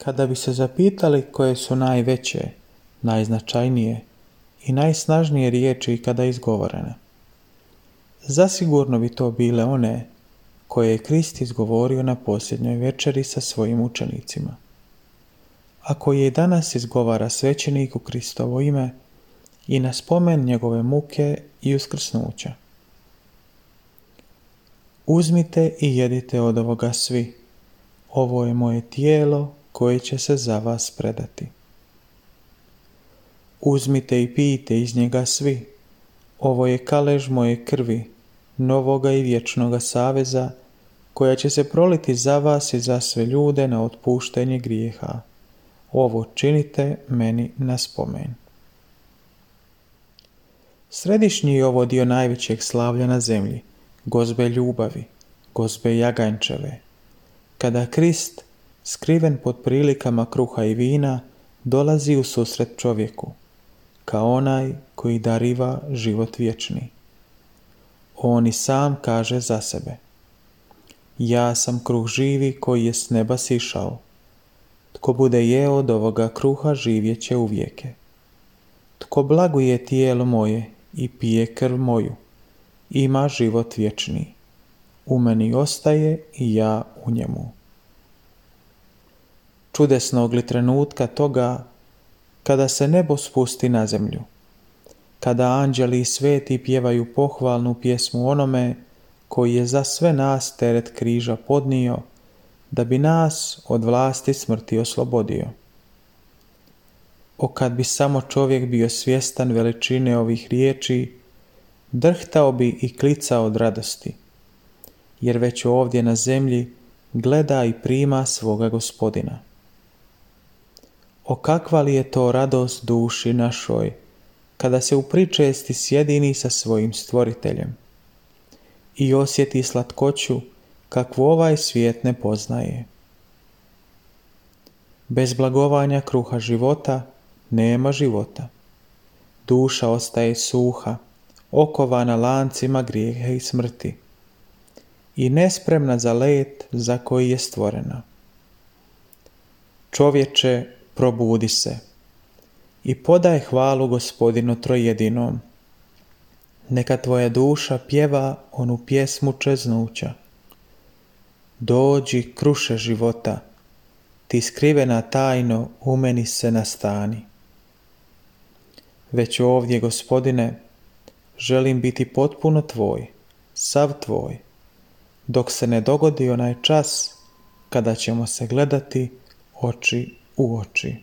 Kada bi se zapitali koje su najveće, najznačajnije i najsnažnije riječi ikada izgovorene, zasigurno bi to bile one koje je Krist izgovorio na posljednjoj večeri sa svojim učenicima, a koje i danas izgovara svećenik u Kristovo ime i na spomen njegove muke i uskrsnuća. Uzmite i jedite od ovoga svi, ovo je moje tijelo koje će se za vas predati. Uzmite i pijte iz njega svi, ovo je kalež moje krvi, novoga i vječnoga saveza, koja će se proliti za vas i za sve ljude na otpuštenje grijeha. Ovo činite meni na spomen. Središnji je ovo dio najvećeg slavlja na zemlji, gozbe ljubavi, gozbe jaganjčeve, kada Krist, skriven pod prilikama kruha i vina, dolazi u susret čovjeku, kao onaj koji dariva život vječni. On i sam kaže za sebe: ja sam kruh živi koji je s neba sišao. Tko bude jeo od ovoga kruha živjet će uvijeke. Tko blaguje tijelo moje i pije krv moju, ima život vječni. U meni ostaje i ja u njemu. Čudesnog li trenutka toga kada se nebo spusti na zemlju, kada anđeli i sveti pjevaju pohvalnu pjesmu onome koji je za sve nas teret križa podnio, da bi nas od vlasti smrti oslobodio. O kad bi samo čovjek bio svjestan veličine ovih riječi, drhtao bi i klicao od radosti, jer već ovdje na zemlji gleda i prima svoga Gospodina. O kakva li je to radost duši našoj, kada se u pričesti sjedini sa svojim stvoriteljem i osjeti slatkoću kakvu ovaj svijet ne poznaje. Bez blagovanja kruha života nema života. Duša ostaje suha, okovana lancima grijeha i smrti i nespremna za let za koji je stvorena. Čovječe, probudi se i podaj hvalu Gospodinu trojedinom. Neka tvoja duša pjeva onu pjesmu čeznuća. Dođi, kruše života, ti skrivena tajno u meni se nastani. Već ovdje, Gospodine, želim biti potpuno tvoj, sav tvoj, dok se ne dogodi onaj čas kada ćemo se gledati oči u oči.